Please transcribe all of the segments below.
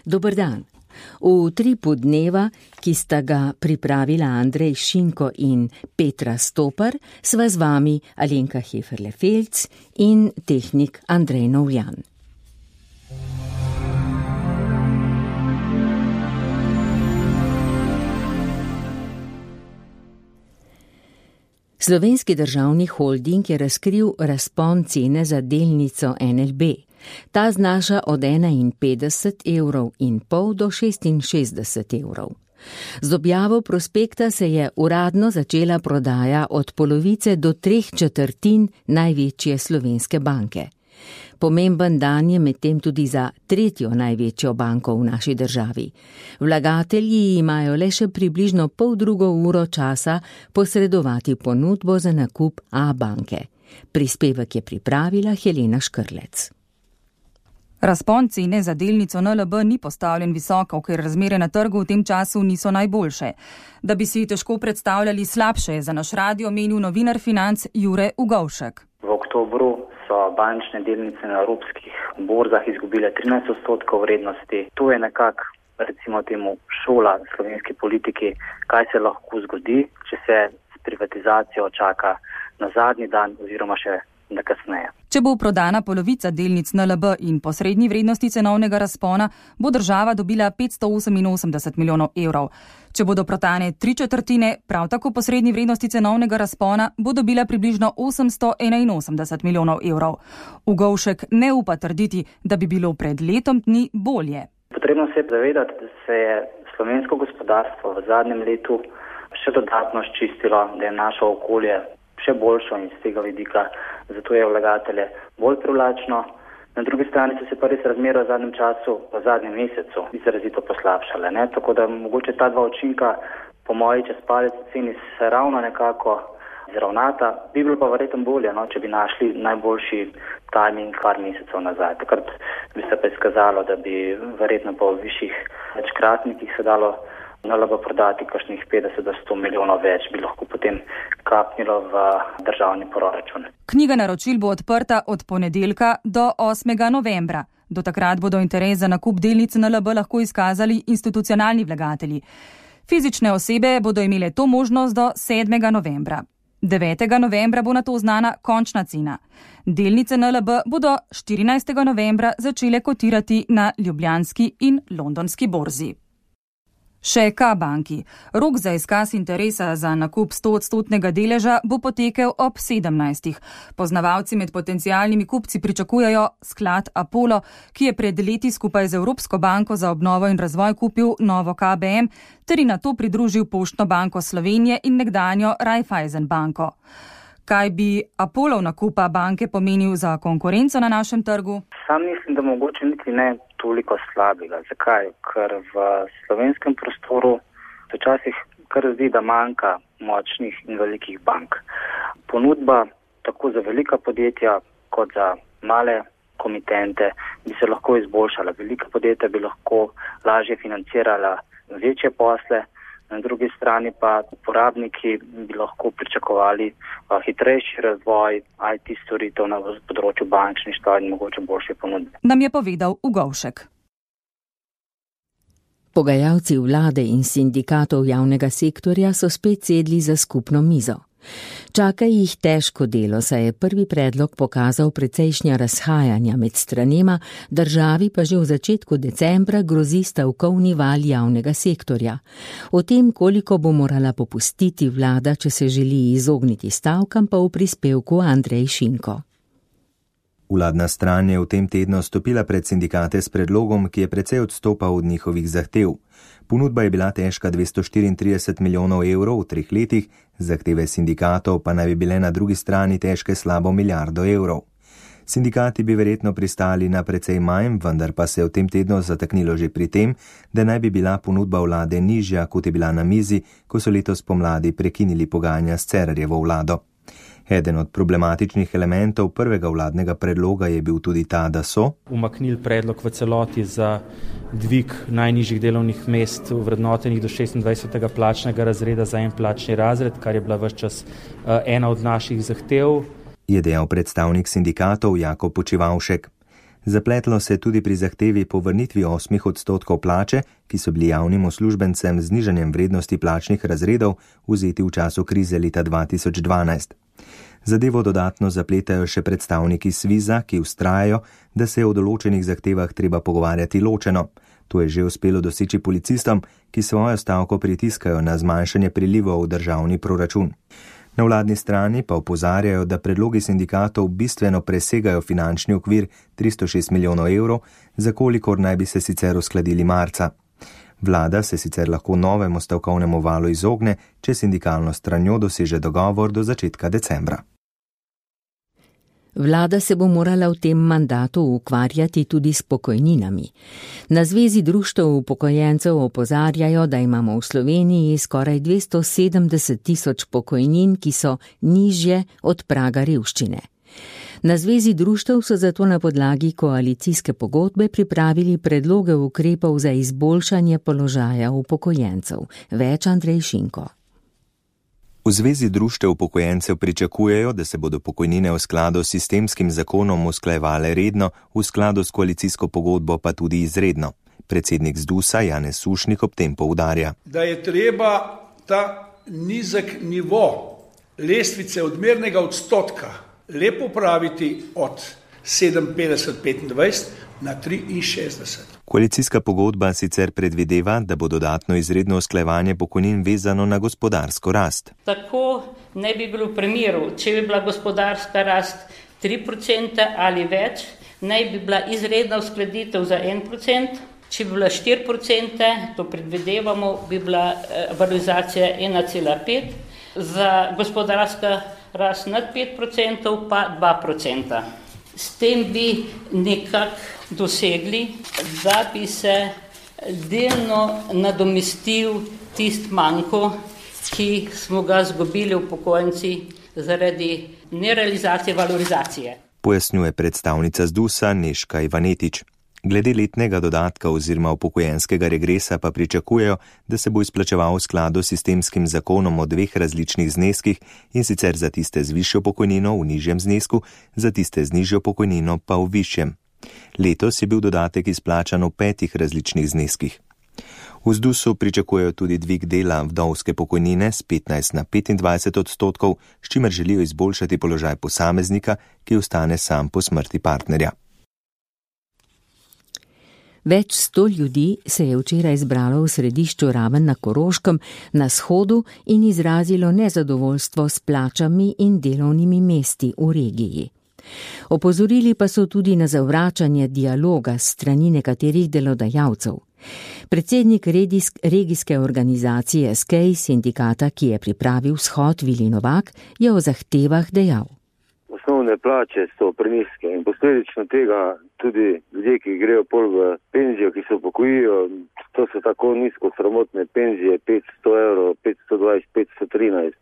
Dober dan. V tripu dneva, ki sta ga pripravila Andrej Šinko in Petra Stopar, sva z vami Alenka Heferle-Felc in tehnik Andrej Novjan. Slovenski državni holding je razkril razpon cene za delnico NLB. Ta znaša od 51,5 € do 66 €. Z objavo prospekta se je uradno začela prodaja od polovice do 3/4 največje slovenske banke. Pomemben dan je medtem tudi za tretjo največjo banko v naši državi. Vlagatelji imajo le še približno poldrugo uro časa posredovati ponudbo za nakup A-banke. Prispevek je pripravila Helena Škrlec. Razpon cene za delnico NLB ni postavljen visoko, ker razmere na trgu v tem času niso najboljše. Da bi si težko predstavljali slabše, je za naš radio menil novinar Financ Jure Ugovšek. V oktobru so bančne delnice na evropskih borzah izgubile 13% vrednosti. To je nekako, recimo temu, šola slovenski politiki, kaj se lahko zgodi, če se s privatizacijo čaka na zadnji dan oziroma še kasneje. Če bo prodana polovica delnic NLB in po srednji vrednosti cenovnega razpona, bo država dobila 588 milijonov evrov. Če bodo prodane 3/4, prav tako po srednji vrednosti cenovnega razpona, bo dobila približno 881 milijonov evrov. Ugovšek ne upa trditi, da bi bilo pred letom dni bolje. Potrebno se je zavedati, da se je slovensko gospodarstvo v zadnjem letu še dodatno ščistilo, da je naše okolje še boljšo in z tega vidika, zato je vlagatelje bolj privlačno. Na drugi strani so se pa res razmere v zadnjem času, v zadnjem mesecu izrazito poslabšale. Tako da mogoče ta dva učinka, po moji čez palec ceni, se ravno nekako izravnata. Bi bilo pa verjetno bolje, če bi našli najboljši timing par mesecev nazaj. Takrat bi se pa izkazalo, da bi verjetno po višjih večkratnikih se dalo NLB prodati kakšnih 50 do 100 milijonov več, bi lahko potem kapnilo v državni proračun. Knjiga naročil bo odprta od ponedeljka do 8. novembra. Do takrat bodo interes za nakup delnic NLB lahko izkazali institucionalni vlagatelji. Fizične osebe bodo imele to možnost do 7. novembra. 9. novembra bo nato znana končna cena. Delnice NLB bodo 14. novembra začele kotirati na ljubljanski in londonski borzi. Še K-banki. Rok za izkaz interesa za nakup 100% deleža bo potekel ob 17. Poznavalci med potencialnimi kupci pričakujejo sklad Apollo, ki je pred leti skupaj z Evropsko banko za obnovo in razvoj kupil novo KBM, ter in nato pridružil Poštno banko Slovenije in nekdanjo Raiffeisen banko. Kaj bi Apollov nakupa banke pomenil za konkurenco na našem trgu? Sam mislim, da mogoče niti ne toliko slabega. Zakaj? Ker v slovenskem prostoru se včasih kar zdi, da manjka močnih in velikih bank. Ponudba tako za velika podjetja kot za male komitente bi se lahko izboljšala. Velika podjetja bi lahko lažje financirala večje posle, na drugi strani pa uporabniki bi lahko pričakovali hitrejši razvoj IT storitev na področju bančništva in mogoče boljše ponudbe. Nam je povedal Ugovšek. Pogajalci vlade in sindikatov javnega sektorja so spet sedli za skupno mizo. Čaka jih težko delo, saj je prvi predlog pokazal precejšnja razhajanja med stranema, državi pa že v začetku decembra grozi stavkovni val javnega sektorja. O tem, koliko bo morala popustiti vlada, če se želi izogniti stavkam, pa v prispevku Andrej Šinko. Vladna stran je v tem tednu stopila pred sindikate s predlogom, ki je precej odstopal od njihovih zahtev. Ponudba je bila težka 234 milijonov evrov v 3 letih, zahteve sindikatov pa naj bi bile na drugi strani težke slabo milijardo evrov. Sindikati bi verjetno pristali na precej manj, vendar pa se je v tem tednu zataknilo že pri tem, da naj bi bila ponudba vlade nižja, kot je bila na mizi, ko so letos pomladi prekinili pogajanja s Cerarjevo vlado. Eden od problematičnih elementov prvega vladnega predloga je bil tudi ta, da so umaknili predlog v celoti za dvig najnižjih delovnih mest vrednotenih do 26. plačnega razreda za en plačni razred, kar je bila ves čas ena od naših zahtev. Je dejal predstavnik sindikatov Jakob Počivavšek. Zapletlo se tudi pri zahtevi po vrnitvi 8% plače, ki so bili javnim uslužbencem z znižanjem vrednosti plačnih razredov vzeti v času krize leta 2012. Zadevo dodatno zapletajo še predstavniki Sviza, ki vztrajajo, da se je o določenih zahtevah treba pogovarjati ločeno. To je že uspelo doseči policistom, ki svojo stavko pritiskajo na zmanjšanje prilivov v državni proračun. Na vladni strani pa opozarjajo, da predlogi sindikatov bistveno presegajo finančni okvir 306 milijonov evrov, za kolikor naj bi se sicer uskladili marca. Vlada se sicer lahko novemu stavkovnemu valu izogne, če sindikalno stranjo doseže dogovor do začetka decembra. Vlada se bo morala v tem mandatu ukvarjati tudi s pokojninami. Na Zvezi društev upokojencev opozarjajo, da imamo v Sloveniji skoraj 270 tisoč pokojnin, ki so nižje od praga revščine. Na Zvezi društev so zato na podlagi koalicijske pogodbe pripravili predloge ukrepov za izboljšanje položaja upokojencev. Več Andrej Šinko. V Zvezi društev upokojencev pričakujejo, da se bodo pokojnine v skladu s sistemskim zakonom usklajevale redno, v skladu s koalicijsko pogodbo pa tudi izredno. Predsednik ZDUS-a Janez Sušnik ob tem poudarja, da je treba ta nizek nivo lestvice odmernega odstotka lepo praviti od 57,25 na 63. Koalicijska pogodba sicer predvideva, da bo dodatno izredno usklajevanje pokojnin vezano na gospodarsko rast. Tako ne bi bilo v primeru, če bi bila gospodarska rast 3% ali več, naj bi bila izredna uskladitev za 1%, če bi bila 4%, to predvidevamo, bi bila valorizacija 1,5%, za gospodarska rast nad 5% pa 2%. S tem bi nekako dosegli, da bi se delno nadomestil tist manko, ki smo ga zgubili upokojenci zaradi nerealizacije valorizacije. Pojasnjuje predstavnica ZDUS-a Nežka Ivanetič. Glede letnega dodatka oziroma upokojenskega regresa pa pričakujejo, da se bo izplačeval v skladu s sistemskim zakonom o dveh različnih zneskih, in sicer za tiste z višjo pokojnino v nižjem znesku, za tiste z nižjo pokojnino pa v višjem. Letos je bil dodatek izplačan v 5 različnih zneskih. V ZDUS-u pričakujejo tudi dvig dela vdovske pokojnine z 15 na 25%, s čimer želijo izboljšati položaj posameznika, ki ostane sam po smrti partnerja. Več 100 ljudi se je včeraj zbralo v središču Raven na Koroškem na shodu in izrazilo nezadovoljstvo s plačami in delovnimi mesti v regiji. Opozorili pa so tudi na zavračanje dialoga s strani nekaterih delodajalcev. Predsednik regijske organizacije SKEJ, sindikata, ki je pripravil shod, Vili Novak, je o zahtevah dejal. Osnovne plače so prenizke in posledično tega tudi ljudje, ki grejo pol v penzijo, ki se upokojijo, to so tako nizko sramotne penzije, 500 evrov, 520, 513,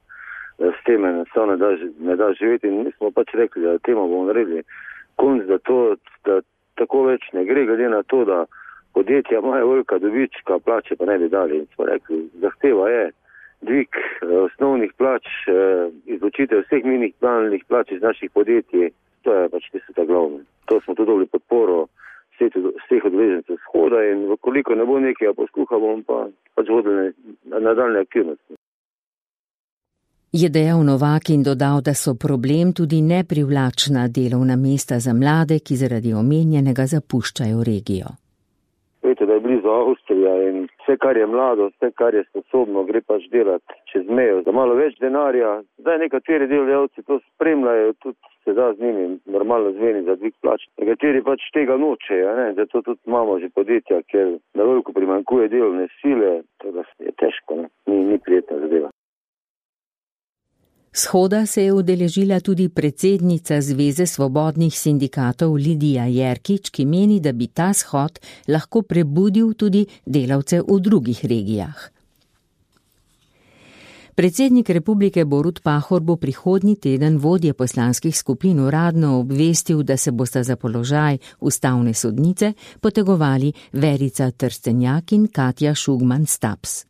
s tem enostavno ne da živeti in mi smo pač rekli, da temu bomo naredili konc, da tako več ne gre, glede na to, da podjetja imajo velika dobička, plače pa ne bi dali in smo rekli, zahteva je dvig osnovnih plač, izločitev vseh minimalnih plač iz naših podjetij, to je pač tisto glavno. To smo tudi dobili podporo vseh udeležencev shoda in koliko ne bo nekega posluha, bomo pa pač vodili nadaljne aktivnosti. Je dejal Novak in dodal, da so problem tudi neprivlačna delovna mesta za mlade, ki zaradi omenjenega zapuščajo regijo. Veste, da je blizu Avstrija in vse, kar je mlado, vse, kar je sposobno, gre pač delati čez mejo. Za malo več denarja, zdaj nekateri delodajalci to spremljajo, tudi se da z njimi normalno zveni za dvig plač. Nekateri pač tega nočejo, zato tudi imamo že podjetja, ker na veliko primanjkuje delovne sile, to je težko, ni prijetna zadeva. Shoda se je udeležila tudi predsednica Zveze svobodnih sindikatov Lidija Jerkič, ki meni, da bi ta shod lahko prebudil tudi delavce v drugih regijah. Predsednik republike Borut Pahor bo prihodnji teden vodje poslanskih skupin uradno obvestil, da se bosta za položaj ustavne sodnice potegovali Verica Trstenjak in Katja Šugman-Staps.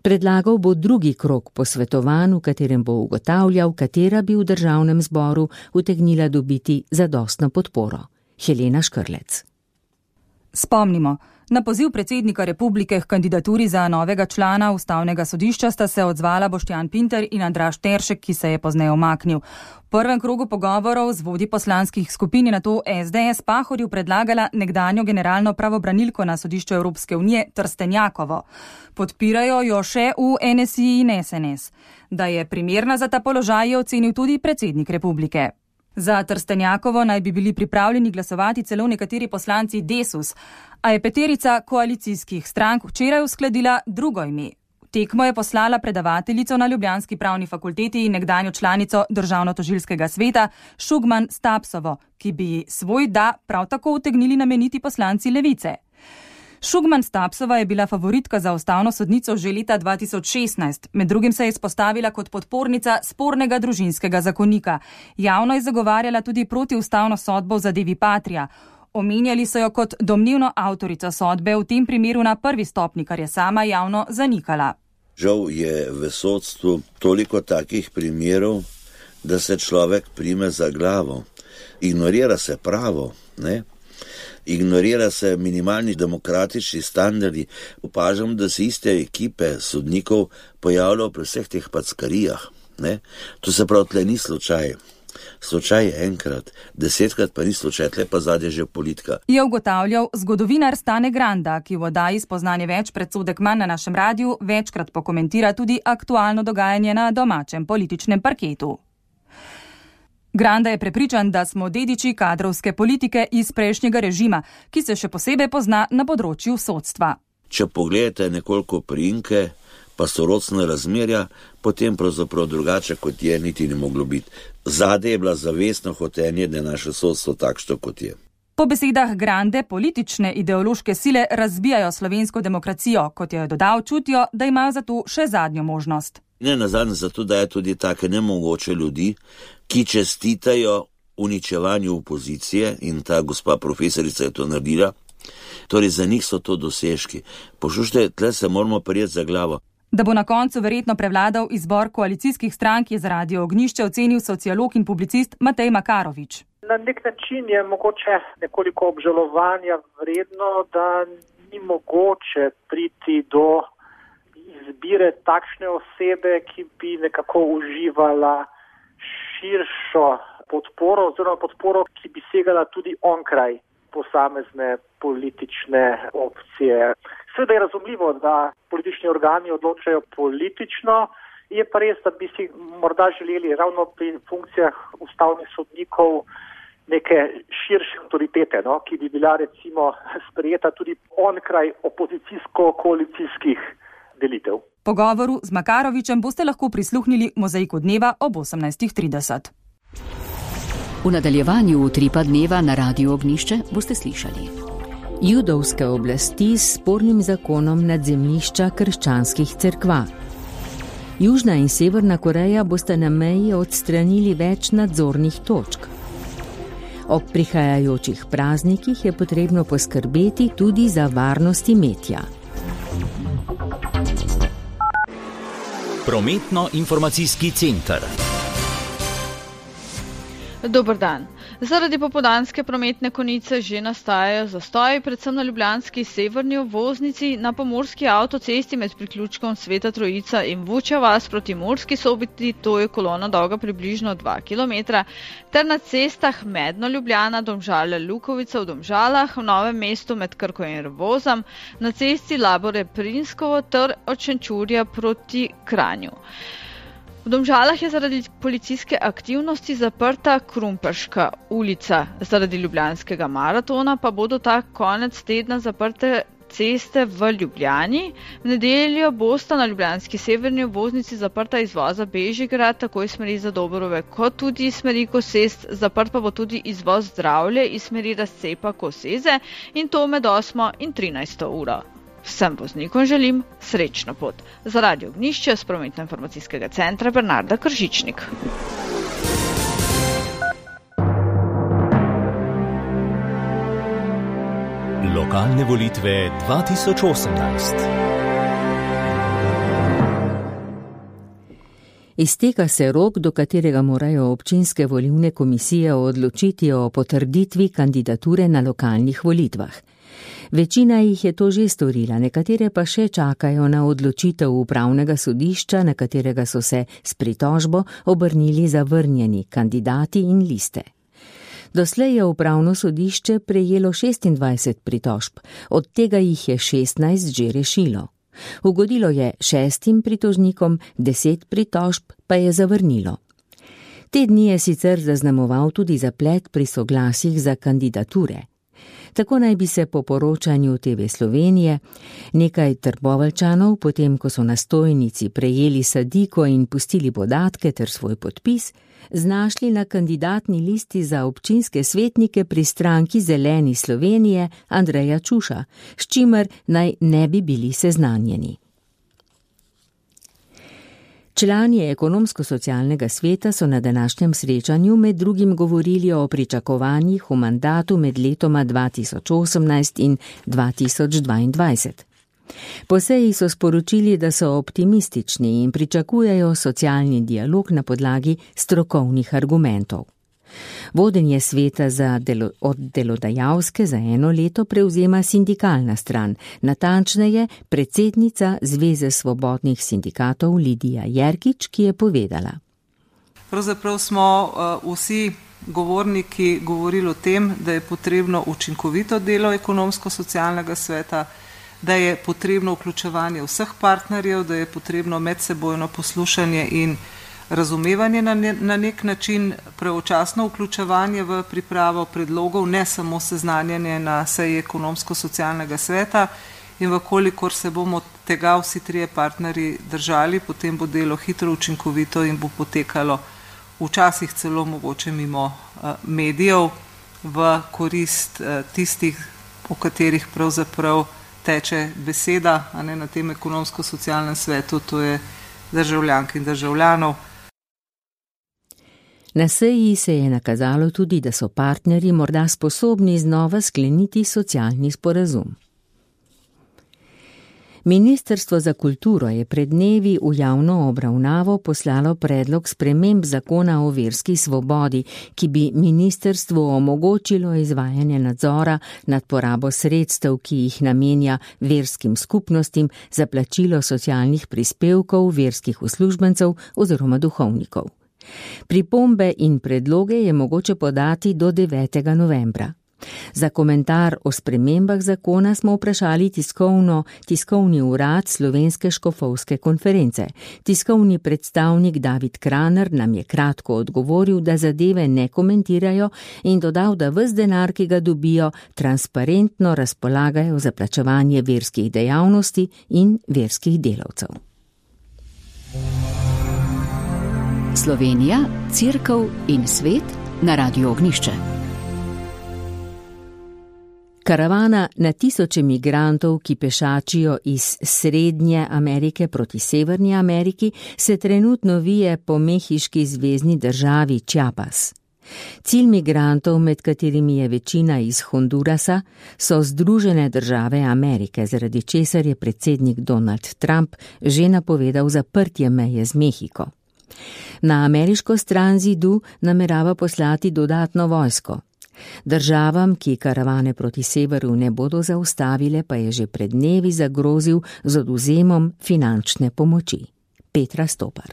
Predlagal bo drugi krog posvetovanj, v katerem bo ugotavljal, katera bi v državnem zboru utegnila dobiti zadostno podporo. Helena Škrlec. Spomnimo, na poziv predsednika republike k kandidaturi za novega člana ustavnega sodišča sta se odzvala Boštjan Pinter in Andraž Teršek, ki se je pozneje umaknil. V prvem krogu pogovorov z vodji poslanskih skupin je nato SDS Pahorju predlagala nekdanjo generalno pravobranilko na sodišču Evropske unije Trstenjakovo. Podpirajo jo še v NSI in SNS. Da je primerna za ta položaj, je ocenil tudi predsednik republike. Za Trstenjakovo naj bi bili pripravljeni glasovati celo nekateri poslanci Desus, a je peterica koalicijskih strank včeraj uskladila drugo ime. Tekmo je poslala predavateljico na Ljubljanski pravni fakulteti in nekdanjo članico Državnotožilskega sveta Šugman Stapsovo, ki bi svoj da prav tako utegnili nameniti poslanci Levice. Šugman Stapsova je bila favoritka za ustavno sodnico že leta 2016. Med drugim se je izpostavila kot podpornica spornega družinskega zakonika. Javno je zagovarjala tudi protiustavno sodbo v zadevi Patria. Omenjali so jo kot domnevno avtorico sodbe, v tem primeru na prvi stopnji, kar je sama javno zanikala. Žal je v sodstvu toliko takih primerov, da se človek prime za glavo. Ignorira se pravo, ne? Ignorira se minimalni demokratični standardi. Opažam, da se iste ekipe sodnikov pojavljajo pri vseh teh packarijah. To se prav tle ni slučaj. Slučaj je enkrat, 10krat pa ni slučaj, tle pa zadnje že politika. Je ugotavljal zgodovinar Stane Granda, ki v oddaji Spoznanje več predsodek manj na našem radiju večkrat pokomentira tudi aktualno dogajanje na domačem političnem parketu. Granda je prepričan, da smo dediči kadrovske politike iz prejšnjega režima, ki se še posebej pozna na področju sodstva. Če pogledate nekoliko priimke, pa sorodstna razmerja, potem pravzaprav drugače kot je niti ne moglo biti. Zadaj je bila zavestno hotenje, da je naše sodstvo takšno kot je. Po besedah Grande politične ideološke sile razbijajo slovensko demokracijo, kot je dodal, čutijo, da imajo za to še zadnjo možnost. Ne nazadnje zato, da je tudi take nemogoče ljudi, ki čestitajo uničevanju opozicije in ta gospa profesorica je to naredila. Torej za njih so to dosežki. Poslušajte, tle se moramo prijeti za glavo. Da bo na koncu verjetno prevladal izbor koalicijskih strank, je za Radio Ognjišče ocenil sociolog in publicist Matej Makarovič. Na nek način je mogoče nekoliko obžalovanja vredno, da ni mogoče priti do izbire takšne osebe, ki bi nekako uživala širšo podporo oziroma podporo, ki bi segala tudi onkraj posamezne politične opcije. Seveda je razumljivo, da politični organi odločajo politično, je pa res, da bi si morda želeli ravno pri funkcijah ustavnih sodnikov neke širše avtoritete, ki bi bila recimo sprejeta tudi onkraj opozicijsko-koalicijskih delitev. Pogovoru z Makarovičem boste lahko prisluhnili Mozaiku dneva ob 18:30. V nadaljevanju Utripa dneva na Radiu Ognjišče boste slišali. Judovske oblasti s spornim zakonom nad zemljišča krščanskih cerkva. Južna in Severna Koreja bosta na meji odstranili več nadzornih točk. Ob prihajajočih praznikih je potrebno poskrbeti tudi za varnost imetja. Prometno-informacijski center. Dober dan. Zaradi popoldanske prometne konice že nastajajo zastoji, predvsem na ljubljanski severni obvoznici, na pomurski avtocesti med priključkom Sveta Trojica in Vučja vas proti Murski Soboti, to je kolona dolga približno 2 km, ter na cestah Medno Ljubljana, Domžale Lukovica v Domžalah, v Novem mestu med Krko in Revozom, na cesti Labore Prinskovo ter od Šenčurja proti Kranju. V Domžalah je zaradi policijske aktivnosti zaprta Krumperška ulica. Zaradi ljubljanskega maratona pa bodo ta konec tedna zaprte ceste v Ljubljani. V nedeljo bosta na ljubljanski severni obvoznici zaprta izvoza Bežigrad, tako iz smeri Zadobrove kot tudi iz smeri Kosest. Zaprt pa bo tudi izvoz Zdravlje iz smeri Razcepa Koseze in to med 8 in 13 uro. Vsem voznikom želim srečno pot. Za Radio Ognjišče z prometno-informacijskega centra Bernarda Kržičnik. Lokalne volitve 2018. Izteka se rok, do katerega morajo občinske volilne komisije odločiti o potrditvi kandidature na lokalnih volitvah. Večina jih je to že storila, nekatere pa še čakajo na odločitev upravnega sodišča, na katerega so se s pritožbo obrnili zavrnjeni kandidati in liste. Doslej je upravno sodišče prejelo 26 pritožb, od tega jih je 16 že rešilo. Ugodilo je 6 pritožnikom, 10 pritožb pa je zavrnilo. Te dni je sicer zaznamoval tudi zaplet pri soglasjih za kandidature. Tako naj bi se po poročanju TV Slovenije nekaj Trboveljčanov, potem ko so na stojnici prejeli sadiko in pustili podatke ter svoj podpis, znašli na kandidatni listi za občinske svetnike pri stranki Zeleni Slovenije Andreja Čuša, s čimer naj ne bi bili seznanjeni. Člani ekonomsko-socialnega sveta so na današnjem srečanju med drugim govorili o pričakovanjih v mandatu med letoma 2018 in 2022. Po seji so sporočili, da so optimistični in pričakujejo socialni dialog na podlagi strokovnih argumentov. Vodenje sveta od delodajalske za 1 leto prevzema sindikalna stran, natančneje predsednica Zveze svobodnih sindikatov Lidija Jerkič, ki je povedala. Pravzaprav smo vsi govorniki govorili o tem, da je potrebno učinkovito delo ekonomsko-socialnega sveta, da je potrebno vključevanje vseh partnerjev, da je potrebno medsebojno poslušanje in razumevanje na nek način, pravočasno vključevanje v pripravo predlogov, ne samo seznanjanje na seji ekonomsko-socialnega sveta, in vkolikor se bomo tega vsi trije partnerji držali, potem bo delo hitro, učinkovito in bo potekalo včasih celo mogoče mimo medijev v korist tistih, o katerih pravzaprav teče beseda, a ne na tem ekonomsko-socialnem svetu, to je državljank in državljanov. Na seji se je nakazalo tudi, da so partnerji morda sposobni znova skleniti socialni sporazum. Ministrstvo za kulturo je pred dnevi v javno obravnavo poslalo predlog sprememb zakona o verski svobodi, ki bi ministrstvu omogočilo izvajanje nadzora nad porabo sredstev, ki jih namenja verskim skupnostim za plačilo socialnih prispevkov verskih uslužbencev oziroma duhovnikov. Pripombe in predloge je mogoče podati do 9. novembra. Za komentar o spremembah zakona smo vprašali tiskovni urad Slovenske škofovske konference. Tiskovni predstavnik David Kraner nam je kratko odgovoril, da zadeve ne komentirajo, in dodal, da ves denar, ki ga dobijo, transparentno razpolagajo za plačevanje verskih dejavnosti in verskih delavcev. Slovenija, Cerkev in svet na Radiu Ognjišče. Karavana na tisoče migrantov, ki pešačijo iz Srednje Amerike proti Severni Ameriki, se trenutno vije po mehiški zvezni državi Chiapas. Cilj migrantov, med katerimi je večina iz Hondurasa, so Združene države Amerike, zaradi česar je predsednik Donald Trump že napovedal zaprtje meje z Mehiko. Na ameriško stran zidu namerava poslati dodatno vojsko. Državam, ki karavane proti severu ne bodo zaustavile, pa je že pred dnevi zagrozil z odvzemom finančne pomoči. Petra Stopar.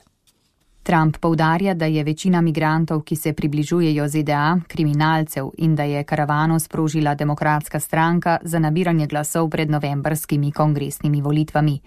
Trump poudarja, da je večina migrantov, ki se približujejo ZDA, kriminalcev in da je karavano sprožila Demokratska stranka za nabiranje glasov pred novembrskimi kongresnimi volitvami.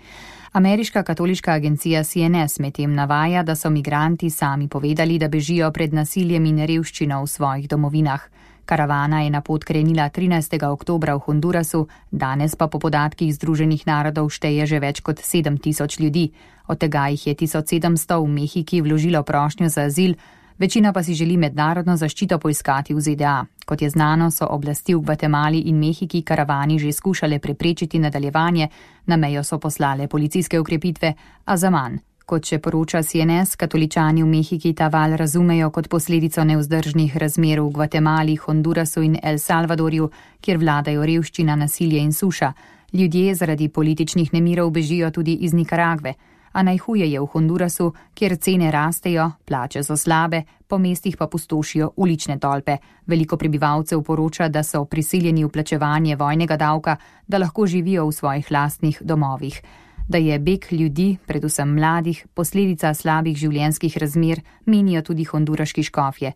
Ameriška katoliška agencija CNS medtem navaja, da so migranti sami povedali, da bežijo pred nasiljem in revščino v svojih domovinah. Karavana je na pot krenila 13. oktobra v Hondurasu, danes pa po podatkih Združenih narodov šteje že več kot 7,000 ljudi. Od tega jih je 1700 v Mehiki vložilo prošnjo za azil, večina pa si želi mednarodno zaščito poiskati v ZDA. Kot je znano, so oblasti v Gvatemali in Mehiki karavani že skušale preprečiti nadaljevanje, na mejo so poslale policijske ukrepitve, a zaman. Kot še poroča CNS, katoličani v Mehiki ta val razumejo kot posledico nevzdržnih razmer v Gvatemali, Hondurasu in El Salvadorju, kjer vladajo revščina, nasilje in suša. Ljudje zaradi političnih nemirov bežijo tudi iz Nikaragve. a najhuje je v Hondurasu, kjer cene rastejo, plače so slabe, po mestih pa pustošijo ulične tolpe. Veliko prebivalcev poroča, da so prisiljeni v plačevanje vojnega davka, da lahko živijo v svojih lastnih domovih. Da je beg ljudi, predvsem mladih, posledica slabih življenjskih razmer, menijo tudi honduraški škofje.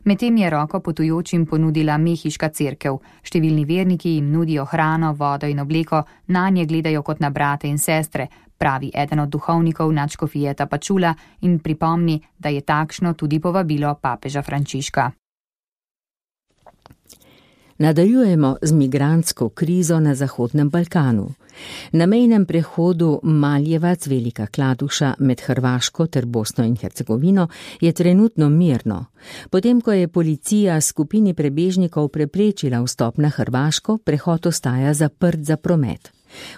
Medtem je roko potujočim ponudila mehiška cerkev. Številni verniki jim nudijo hrano, vodo in obleko, nanje gledajo kot na brate in sestre, pravi eden od duhovnikov nadškofije Tapachula in pripomni, da je takšno tudi povabilo papeža Frančiška. Nadaljujemo z migrantsko krizo na Zahodnem Balkanu. Na mejnem prehodu Maljevac Velika Kladuša med Hrvaško ter Bosno in Hercegovino je trenutno mirno. Potem, ko je policija skupini prebežnikov preprečila vstop na Hrvaško, prehod ostaja zaprt za promet.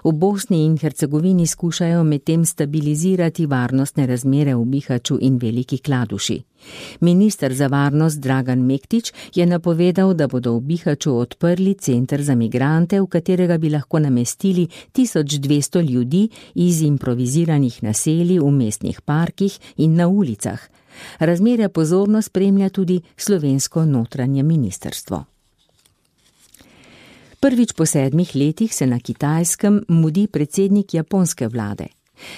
V Bosni in Hercegovini skušajo medtem stabilizirati varnostne razmere v Bihaću in Veliki Kladuši. Minister za varnost Dragan Mektić je napovedal, da bodo v Bihaću odprli center za migrante, v katerega bi lahko namestili 1200 ljudi iz improviziranih naselij v mestnih parkih in na ulicah. Razmere pozorno spremlja tudi slovensko notranje ministrstvo. Prvič po 7 letih se na Kitajskem mudi predsednik japonske vlade.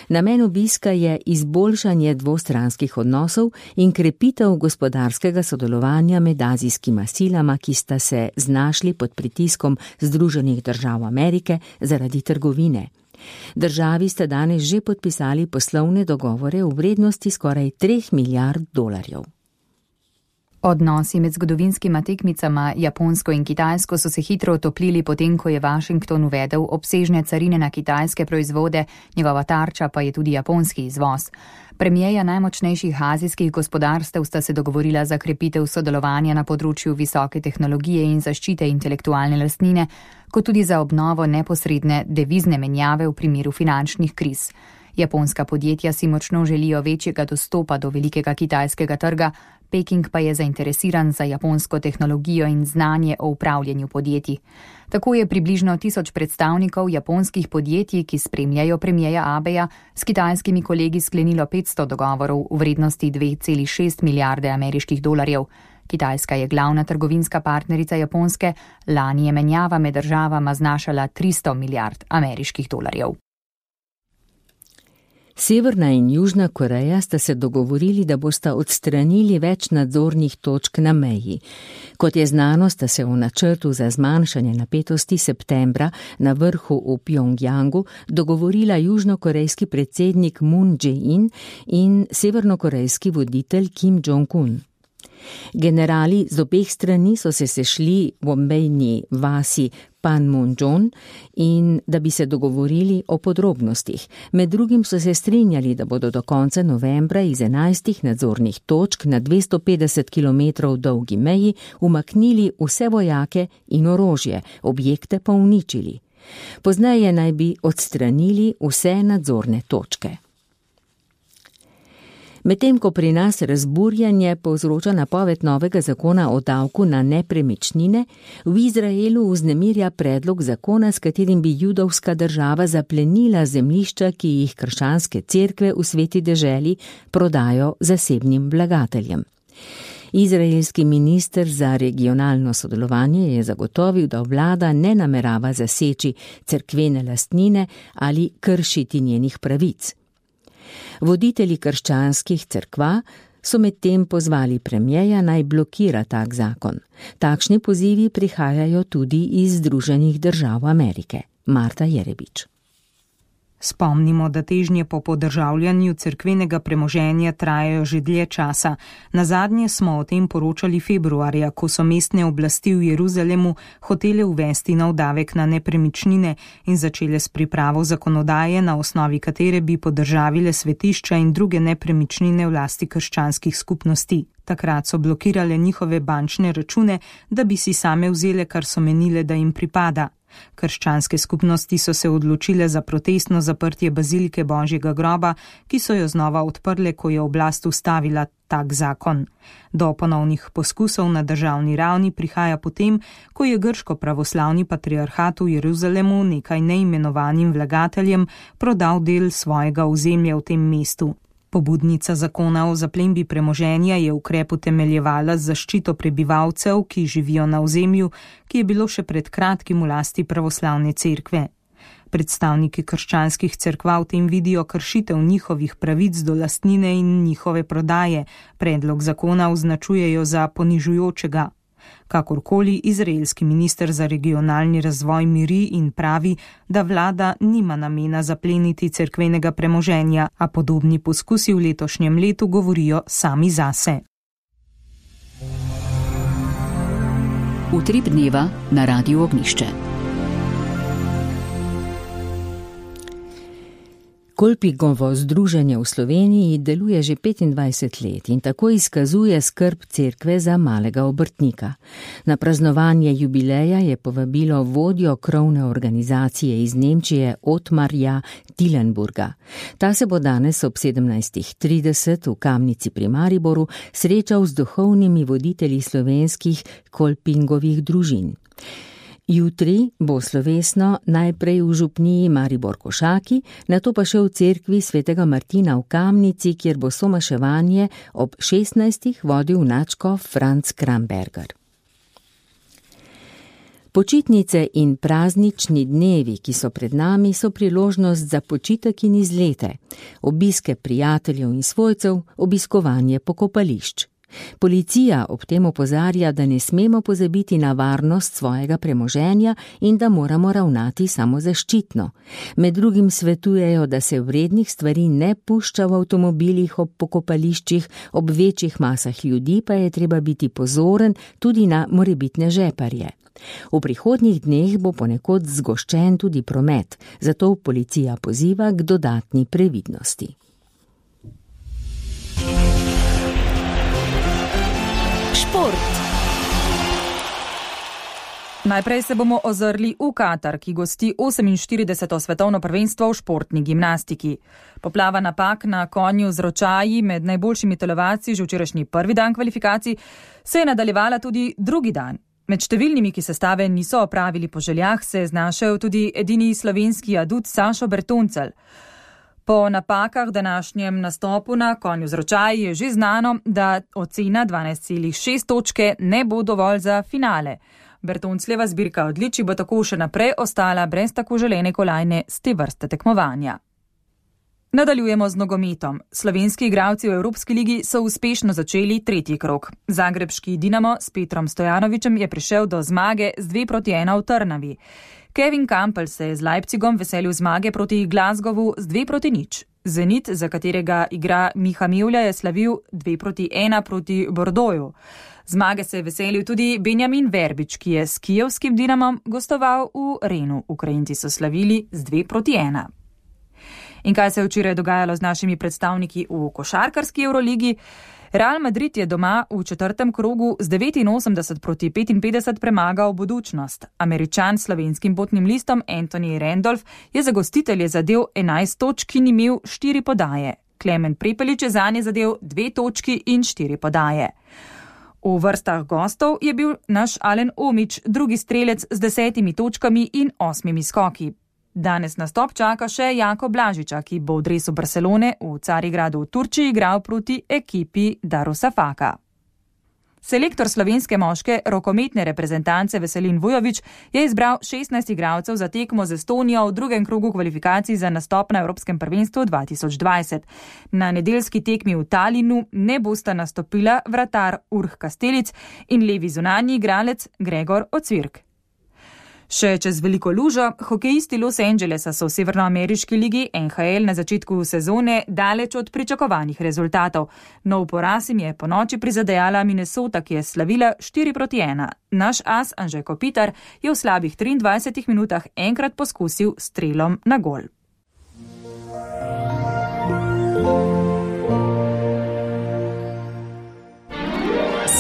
Namen obiska je izboljšanje dvostranskih odnosov in krepitev gospodarskega sodelovanja med azijskima silama, ki sta se znašli pod pritiskom Združenih držav Amerike zaradi trgovine. Državi sta danes že podpisali poslovne dogovore v vrednosti skoraj $3 milijard. Odnosi med zgodovinskima tekmicama Japonsko in Kitajsko so se hitro otoplili potem, ko je Washington uvedel obsežne carine na kitajske proizvode, njegova tarča pa je tudi japonski izvoz. Premijeja najmočnejših azijskih gospodarstev sta se dogovorila za krepitev sodelovanja na področju visoke tehnologije in zaščite intelektualne lastnine, kot tudi za obnovo neposredne devizne menjave v primeru finančnih kriz. Japonska podjetja si močno želijo večjega dostopa do velikega kitajskega trga, Peking pa je zainteresiran za japonsko tehnologijo in znanje o upravljanju podjetij. Tako je približno 1000 predstavnikov japonskih podjetij, ki spremljajo premijeja Abeja, s kitajskimi kolegi sklenilo 500 dogovorov v vrednosti $2,6 milijarde ameriških dolarjev. Kitajska je glavna trgovinska partnerica Japonske, lani je menjava med državama znašala $300 milijard ameriških dolarjev. Severna in Južna Koreja sta se dogovorili, da bosta odstranili več nadzornih točk na meji. Kot je znano, sta se v načrtu za zmanjšanje napetosti septembra na vrhu v Pjongjangu dogovorila južnokorejski predsednik Moon Jae-in in severnokorejski voditelj Kim Jong-un. Generali z obeh strani so se sešli v obmejni vasi Panmunjom in da bi se dogovorili o podrobnostih. Med drugim so se strinjali, da bodo do konca novembra iz 11 nadzornih točk na 250 km dolgi meji umaknili vse vojake in orožje, objekte pa uničili. Pozneje naj bi odstranili vse nadzorne točke. Medtem ko pri nas razburjanje povzroča napoved novega zakona o davku na nepremičnine, v Izraelu vznemirja predlog zakona, s katerim bi judovska država zaplenila zemljišča, ki jih krščanske cerkve v sveti deželi prodajo zasebnim vlagateljem. Izraelski minister za regionalno sodelovanje je zagotovil, da vlada ne namerava zaseči cerkvene lastnine ali kršiti njenih pravic. Voditelji krščanskih cerkva so medtem pozvali premijeja naj blokira tak zakon. Takšni pozivi prihajajo tudi iz Združenih držav Amerike. Marta Jerebič. Spomnimo, da težnje po podržavljanju cerkvenega premoženja trajajo že dlje časa. Nazadnje smo o tem poročali februarja, ko so mestne oblasti v Jeruzalemu hotele uvesti nov davek na nepremičnine in začele s pripravo zakonodaje, na osnovi katere bi podržavile svetišča in druge nepremičnine v lasti krščanskih skupnosti. Takrat so blokirale njihove bančne račune, da bi si same vzele, kar so menile, da jim pripada. Krščanske skupnosti so se odločile za protestno zaprtje bazilike Božjega groba, ki so jo znova odprle, ko je oblast ustavila tak zakon. Do ponovnih poskusov na državni ravni prihaja potem, ko je grško pravoslavni patriarhat v Jeruzalemu nekaj neimenovanim vlagateljem prodal del svojega ozemlja v tem mestu. Pobudnica zakona o zaplembi premoženja je ukrep utemeljevala z zaščito prebivalcev, ki živijo na ozemlju, ki je bilo še pred kratkim v lasti pravoslavne cerkve. Predstavniki krščanskih cerkva v tem vidijo kršitev njihovih pravic do lastnine in njihove prodaje. Predlog zakona označujejo za ponižujočega. Kakorkoli, izraelski minister za regionalni razvoj miri in pravi, da vlada nima namena zapleniti cerkvenega premoženja, a podobni poskusi v letošnjem letu govorijo sami zase. Utrip dneva na Radiu Ognišče. Kolpingovo združenje v Sloveniji deluje že 25 let in tako izkazuje skrb cerkve za malega obrtnika. Na praznovanje jubileja je povabilo vodjo krovne organizacije iz Nemčije Otmarja Tilenburga. Ta se bo danes ob 17:30 v Kamnici pri Mariboru srečal z duhovnimi voditelji slovenskih Kolpingovih družin. Jutri bo slovesno najprej v župniji Maribor Košaki, nato pa še v cerkvi svetega Martina v Kamnici, kjer bo somaševanje ob 16. vodil nadškof Franc Kramberger. Počitnice in praznični dnevi, ki so pred nami, so priložnost za počitek in izlete, obiske prijateljev in svojcev, obiskovanje pokopališč. Policija ob tem opozarja, da ne smemo pozabiti na varnost svojega premoženja in da moramo ravnati samozaščitno. Med drugim svetujejo, da se vrednih stvari ne pušča v avtomobilih ob pokopališčih, ob večjih masah ljudi pa je treba biti pozoren tudi na morebitne žeparje. V prihodnjih dneh bo ponekod zgoščen tudi promet, zato policija poziva k dodatni previdnosti. Najprej se bomo ozrli v Katar, ki gosti 48. svetovno prvenstvo v športni gimnastiki. Poplava napak na konju z ročaji med najboljšimi telovadci že včerajšnji prvi dan kvalifikacij se je nadaljevala tudi drugi dan. Med številnimi, ki sestave niso opravili po željah, se je znašel tudi edini slovenski adut Sašo Bertoncelj. Po napakah današnjem nastopu na konju z ročaji je že znano, da ocena 12,6 točke ne bo dovolj za finale. Bertoncljeva zbirka odličij bo tako še naprej ostala brez tako želene kolajne z te vrste tekmovanja. Nadaljujemo z nogometom. Slovenski igralci v Evropski ligi so uspešno začeli tretji krog. Zagrebški Dinamo s Petrom Stojanovićem je prišel do zmage z 2:1 v Trnavi. Kevin Campbell se je z Leipzigom veselil zmage proti Glasgowu z 2:0. Zenit, za katerega igra Miha Mevlja, je slavil 2:1 proti Bordeauxu. Zmage se je veselil tudi Benjamin Verbič, ki je s kijevskim Dinamom gostoval v Renu. Ukrajinci so slavili z 2:1. In kaj se je včeraj dogajalo z našimi predstavniki v košarkarski Euroligi? Real Madrid je doma v četrtem krogu z 89-55 premagal Budućnost. Američan s slovenskim potnim listom Anthony Randolph je za gostitelje zadel 11 točk in imel 4 podaje. Klemen Prepelič je zanje zadel 2 točki in 4 podaje. V vrstah gostov je bil naš Alen Omić drugi strelec z 10 točkami in 8 skoki. Danes nastop čaka še Jako Blažiča, ki bo v dresu Barcelone v Carigradu v Turčiji igral proti ekipi Darusafaka. Selektor slovenske moške rokometne reprezentance Veselin Vujović je izbral 16 igralcev za tekmo z Estonijo v drugem krogu kvalifikacij za nastop na Evropskem prvenstvu 2020. Na nedeljski tekmi v Talinu ne bosta nastopila vratar Urh Kastelic in levi zunanji igralec Gregor Ocvirk. Še čez veliko lužo, hokejisti Los Angelesa so v severnoameriški ligi NHL na začetku sezone daleč od pričakovanih rezultatov. Nov poraz jim je po noči prizadejala Minnesota, ki je slavila 4:1. Naš as Anže Kopitar je v slabih 23 minutah enkrat poskusil strelom na gol.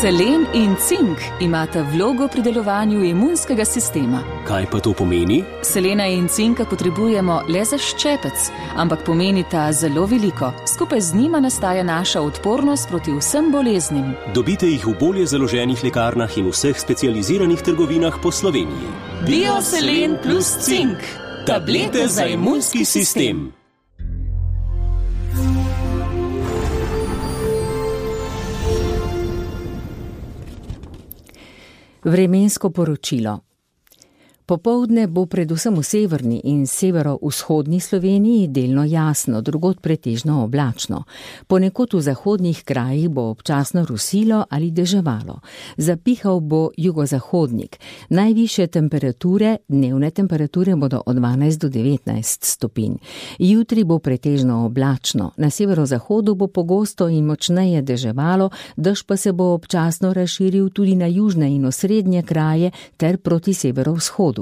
Selen in cink imata vlogo pri delovanju imunskega sistema. Kaj pa to pomeni? Selena in cinka potrebujemo le za ščepec, ampak pomenita zelo veliko. Skupaj z njima nastaja naša odpornost proti vsem boleznim. Dobite jih v bolje založenih lekarnah in vseh specializiranih trgovinah po Sloveniji. Bioselen plus cink. Tablete za imunski sistem. Vremensko poročilo. Popoldne bo predvsem v severni in severovzhodni Sloveniji delno jasno, drugod pretežno oblačno. Ponekod v zahodnih krajih bo občasno rusilo ali deževalo. Zapihal bo jugozahodnik. Najvišje temperature, dnevne temperature bodo od 12 do 19 stopinj. Jutri bo pretežno oblačno. Na severozahodu bo pogosto in močneje deževalo, dež pa se bo občasno razširil tudi na južne in osrednje kraje ter proti severovzhodu.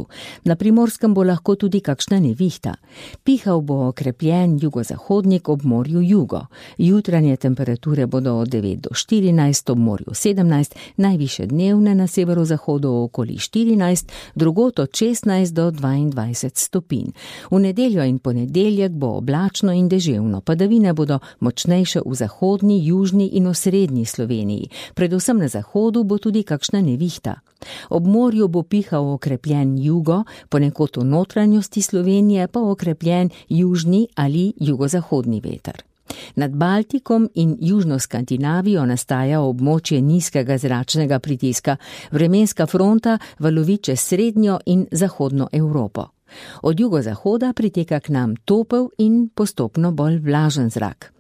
Na Primorskem bo lahko tudi kakšna nevihta. Pihal bo okrepljen jugozahodnik ob morju jugo. Jutranje temperature bodo od 9 do 14, ob morju 17, najviše dnevne na severozahodu okoli 14, drugot od 16 do 22 stopinj. V nedeljo in ponedeljek bo oblačno in deževno. Padavine bodo močnejše v zahodni, južni in osrednji Sloveniji. Predvsem na zahodu bo tudi kakšna nevihta. Ob morju bo pihal okrepljen jugo, ponekod v notranjosti Slovenije pa okrepljen južni ali jugozahodni veter. Nad Baltikom in južno Skandinavijo nastaja območje nizkega zračnega pritiska. Vremenska fronta valovi čez srednjo in zahodno Evropo. Od jugozahoda priteka k nam topel in postopno bolj vlažen zrak.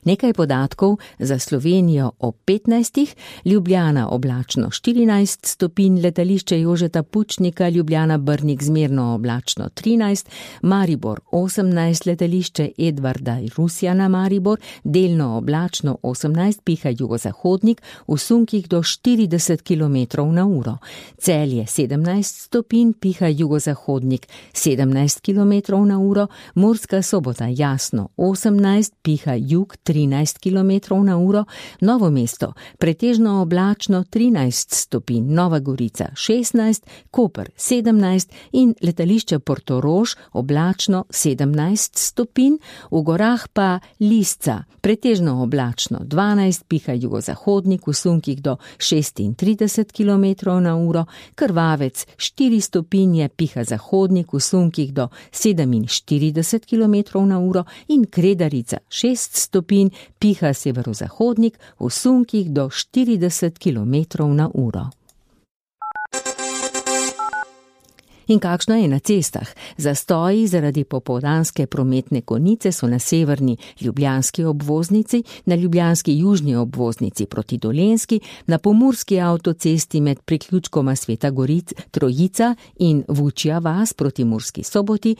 Nekaj podatkov za Slovenijo ob 15. Ljubljana oblačno 14 stopinj, letališče Jožeta Pučnika, Ljubljana Brnik zmerno oblačno 13, Maribor 18, letališče Edvarda Rusjana Maribor, delno oblačno 18, piha jugozahodnik, v sunkih do 40 km/h. Celje 17 stopinj, piha jugozahodnik 17 km/h, Murska Sobota jasno 18, piha jug 13 km/h, Novo mesto pretežno oblačno 13 stopinj, Nova Gorica 16, Koper 17 in letališče Portorož oblačno 17 stopinj, v gorah pa Lisca pretežno oblačno 12, piha jugozahodnik, v sunkih do 36 km/h, Krvavec 4 stopinje, piha zahodnik, v sunkih do 47 km/h in Kredarica 6 stopinj, piha severozahodnik, v sunkih do 40 km/h. In kakšno je na cestah? Zastoji zaradi popoldanske prometne konice so na severni ljubljanski obvoznici, na ljubljanski južni obvoznici proti Dolenjski, na pomurski avtocesti med priključkoma Sveta Trojica in Vučja vas proti Murski Soboti.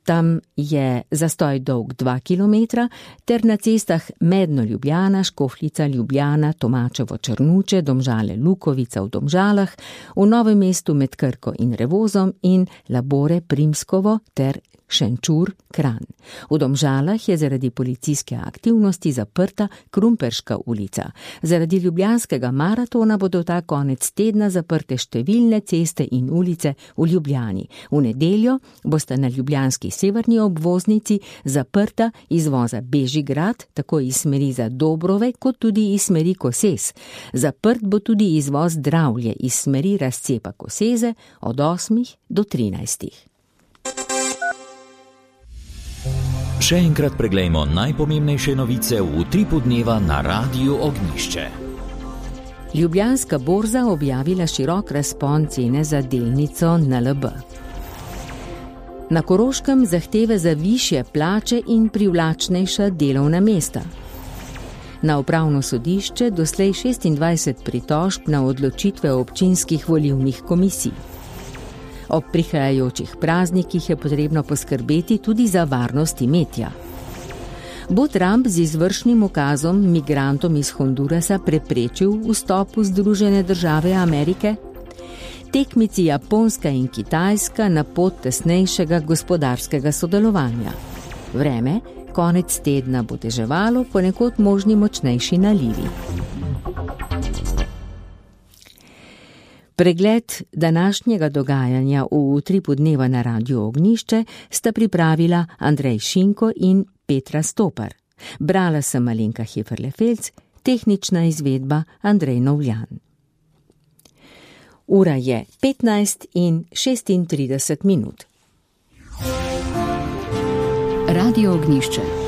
Tam je zastoj dolg 2 km, ter na cestah Medno Ljubljana, Škofljica Ljubljana, Tomačevo Črnuče, Domžale Lukovica v Domžalah, v Novem mestu med Krko in Revozom in Labore Primskovo ter Šenčur Kranj. V Domžalah je zaradi policijske aktivnosti zaprta Krumperška ulica. Zaradi ljubljanskega maratona bodo ta konec tedna zaprte številne ceste in ulice v Ljubljani. V nedeljo bosta na ljubljanski severni obvoznici zaprta izvoza Bežigrad, tako iz smeri za Dobrove, kot tudi iz smeri Koses. Zaprt bo tudi izvoz Dravlje iz smeri razcepa Koseze od 8 do 13. Še enkrat preglejmo najpomembnejše novice v utripu dneva na Radiu Ognjišče. Ljubljanska borza objavila širok razpon cene za delnico NLB. Na Koroškem zahteve za višje plače in privlačnejša delovna mesta. Na upravno sodišče doslej 26 pritožb na odločitve občinskih volilnih komisij. Ob prihajajočih praznikih je potrebno poskrbeti tudi za varnost imetja. Bo Trump z izvršnim ukazom migrantom iz Hondurasa preprečil vstop v Združene države Amerike? Tekmici Japonska in Kitajska na pot tesnejšega gospodarskega sodelovanja. Vreme, konec tedna bo deževalo, ponekod možni močnejši nalivi. Pregled današnjega dogajanja v utripu dneva na Radiu Ognjišče sta pripravila Andrej Šinko in Petra Stopar. Brala sem Alenka Heferle-Felc, tehnična izvedba Andrej Novljan. Ura je 15:36. Radio Ognjišče.